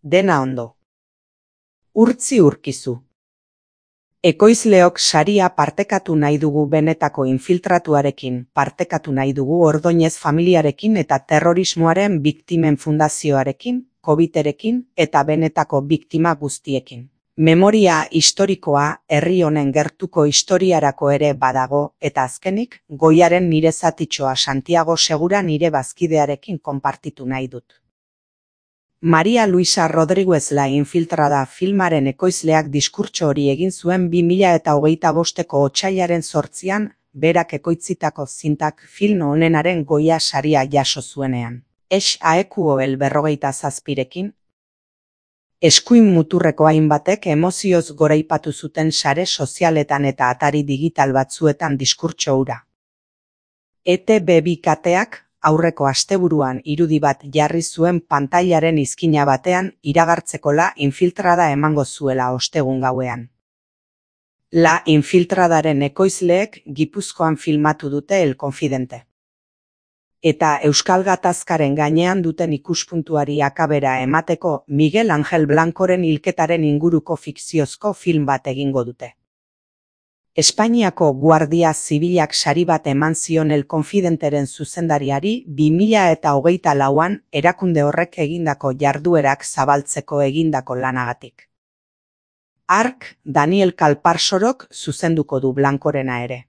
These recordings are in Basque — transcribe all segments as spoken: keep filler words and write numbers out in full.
Dena ondo. Urtzi urkizu. Ekoizleok saria partekatu nahi dugu benetako infiltratuarekin, partekatu nahi dugu Ordoñez familiarekin eta terrorismoaren biktimen fundazioarekin, COVIDerekin eta benetako biktima guztiekin. Memoria historikoa herri honen gertuko historiarako ere badago eta azkenik, goiaren nire zatitxoa Santiago Segura nire bazkidearekin konpartitu nahi dut. Maria Luisa Rodríguez La Infiltrada filmaren ekoizleak diskurtso hori egin zuen bi mila eta hogeita bosteko otsailaren zortzian, berak ekoitzitako zintak film honenaren Goya saria jaso zuenean. Es aekuoel berrogeita zazpirekin, eskuin muturreko hainbatek emozioz goraipatu zuten sare sozialetan eta atari digital batzuetan diskurtso hura. E Te Be bi kateak aurreko asteburuan irudi bat jarri zuen pantailaren izkina batean iragartzeko La Infiltrada emango zuela ostegun gauean. La Infiltradaren ekoizleek Gipuzkoan filmatu dute El Confidente. Eta Euskal Gatazkaren gainean duten ikuspuntuari akabera emateko Miguel Angel Blancoren hilketaren inguruko fikziozko film bat egingo dute. Espainiako Guardia Zibilak sari bat eman zion El Confidenteren zuzendariari bi mila eta hogeita lauan erakunde horrek egindako jarduerak zabaltzeko egindako lanagatik. Hark Daniel Kalparsorok zuzenduko du Blancorena ere.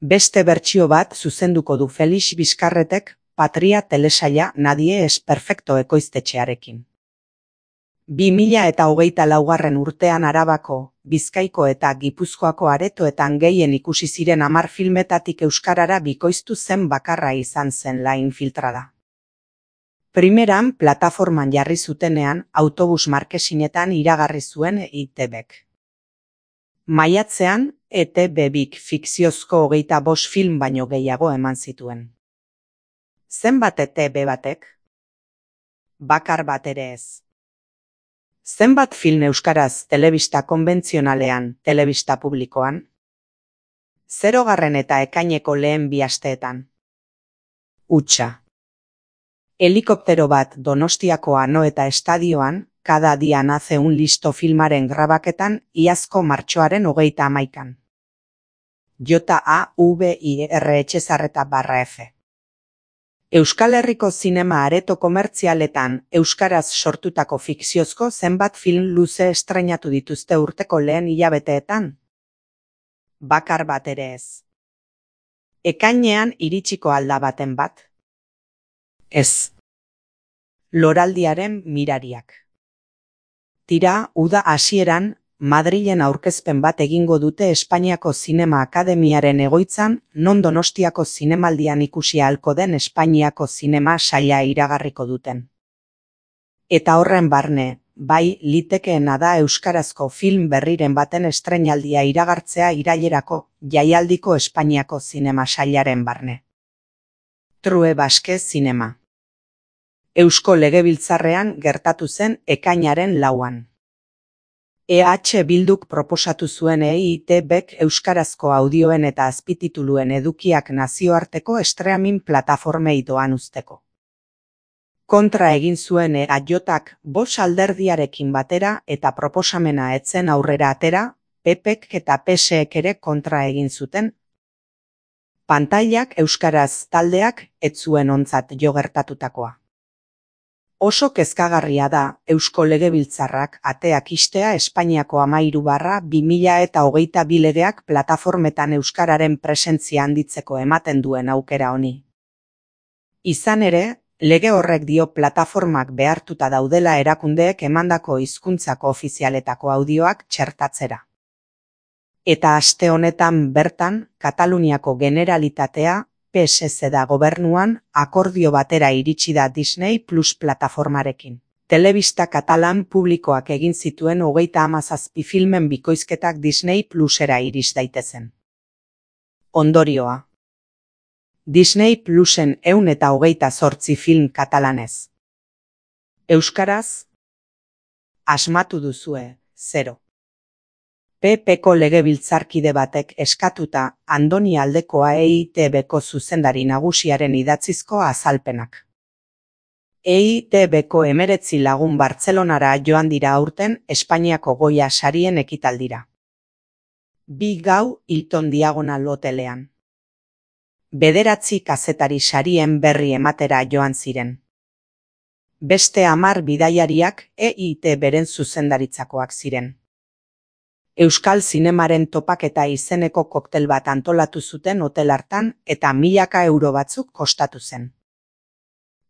Beste bertsio bat zuzenduko du Felix Bizkarretek Patria telesaila Nadie es perfecto ekoiztetxearekin. bi mila eta hogeita laugarren urtean Arabako, Bizkaiko eta Gipuzkoako aretoetan gehien ikusi ziren hamar filmetatik euskarara bikoiztu zen bakarra izan zen La Infiltrada. Primeran plataforman jarri zutenean autobus markesinetan iragarri zuen E Te Bek. Maiatzean, E Te Be bik fikziozko hogeita bost film baino gehiago eman zituen. Zenbat E Te Be batek? Bakar bat ere ez. Zenbat film euskaraz telebista konbentzionalean, telebista publikoan? Zerogarren eta ekaineko lehen bi asteetan. Hutsa. Helikoptero bat Donostiako Anoeta estadioan, Cada día nace un listo filmaren grabaketan iazko martxoaren hogeita hamaikan. J A V I R Etxezarreta barra F. Euskal Herriko zinema areto komertzialetan euskaraz sortutako fikziozko zenbat film luze estreinatu dituzte urteko lehen hilabeteetan? Bakar bat ere ez. Ekainean iritsiko alda baten bat? Ez. Loraldiaren mirariak. Tira, uda hasieran, Madrilen aurkezpen bat egingo dute Espainiako Zinema Akademiaren egoitzan, non Donostiako zinemaldian ikusi ahalko den Espainiako zinema saila iragarriko duten. Eta horren barne, bai litekeena da euskarazko film berriren baten estreinaldia iragartzea irailerako jaialdiko Espainiako zinema sailaren barne. True Basque Zinema. Eusko Legebiltzarrean gertatu zen ekainaren lauan. E H Bilduk proposatu zuen E Te Bek euskarazko audioen eta azpitituluen edukiak nazioarteko streaming plataformei doan uzteko. Kontra egin zuen E A Jak bost alderdiarekin batera eta proposamena etzen aurrera atera, P Pek eta P Sek ere kontra egin zuten. Pantailak euskaraz taldeak ez zuen ontzat jo gertatutakoa. Oso kezkagarria da Eusko Legebiltzarrak ateak ixtea Espainiako hamairu barra bi mila eta hogeita bi legeak plataformetan euskararen presentzia handitzeko ematen duen aukera honi. Izan ere, lege horrek dio plataformak behartuta daudela erakundeek emandako hizkuntzako ofizialetako audioak txertatzera. Eta aste honetan bertan, Kataluniako Generalitatea, P S Z da gobernuan, akordio batera iritsi da Disney Plus plataformarekin. Telebista katalan publikoak egin zituen hogeita hamazazpi filmen bikoizketak Disney Plusera iris daitezen. Ondorioa. Disney Plusen ehun eta hogeita zortzi film katalanez. Euskaraz? Asmatu duzue, zero. P Pko legebiltzarkide batek eskatuta Andoni Aldekoa E I Te Beko zuzendari nagusiaren idatzizko azalpenak. E I T Bko emeretzi lagun Bartzelonara joan dira aurten Espainiako Goya sarien ekitaldira. Bi gau Hilton Diagonal hotelean. Bederatzi kazetari sarien berri ematera joan ziren. Beste hamar bidaiariak E I T beren zuzendaritzakoak ziren. Euskal zinemaren topaketa izeneko koktel bat antolatu zuten hotel hartan eta milaka euro batzuk kostatu zen.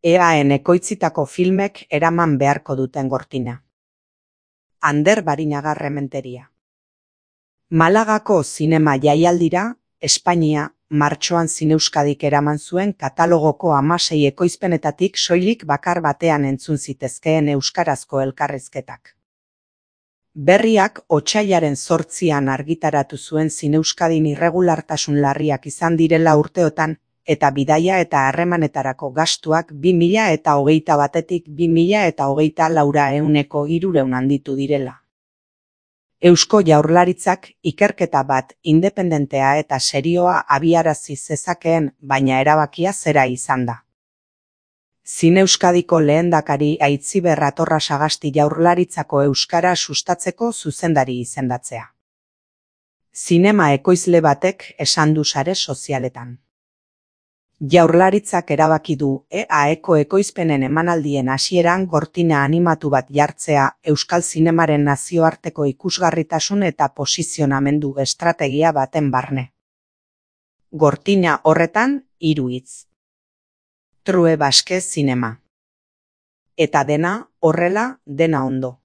E A En ekoitzitako filmek eraman beharko duten gortina. Ander Barinaga Rementeria. Malagako zinema jaialdira, Espainia, martxoan Zineuskadik eraman zuen katalogoko hamasei ekoizpenetatik soilik bakar batean entzun zitezkeen euskarazko elkarrizketak. Berriak otsailaren zortzian argitaratu zuen Zineuskadin irregulartasun larriak izan direla urteotan, eta bidaia eta harremanetarako gastuak bi mila eta hogeita batetik bi mila eta hogeita laura ehuneko hirureun handitu direla. Eusko Jaurlaritzak ikerketa bat independentea eta serioa abiarazi zezakeen, baina erabakia zera izan da. Zineuskadiko lehendakari Aitziber Atorra Sagasti Jaurlaritzako euskara sustatzeko zuzendari izendatzea. Zinema ekoizle batek esan du sare sozialetan. Jaurlaritzak erabaki du E A Eko ekoizpenen emanaldien hasieran gortina animatu bat jartzea euskal zinemaren nazioarteko ikusgarritasun eta posizionamendu estrategia baten barne. Gortina horretan hiru hitz. True Basque Zinema. Eta dena, horrela, dena ondo.